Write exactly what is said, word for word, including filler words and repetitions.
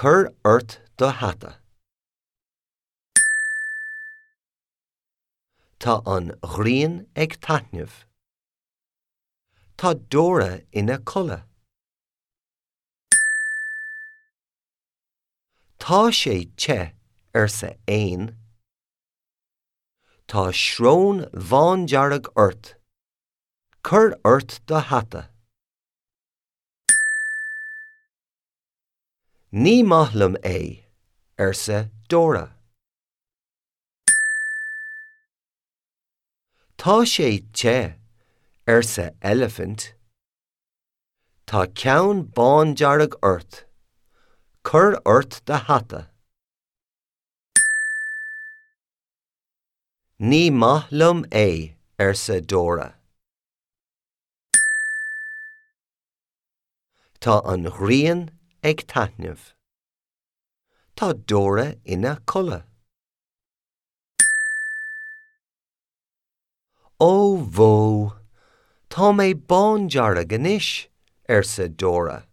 Cuir ort do hata. Tá an ghrian ag taitneamh. Tá Dora ina codladh. Tá sé te, arsa éan. Tá srón bhándearg ort. Cuir ort do hata. Ní maith liom é, arsa Dora. Tá sé te, arsa eilifint. Tá ceann bándearg ort. Cuir ort do hata. Ní maith liom é, arsa Dora. Tá an ghrian ag taitneamh. Tá Dora ina codladh. Ó bhó, tá mé bándearg anois, arsa Dora.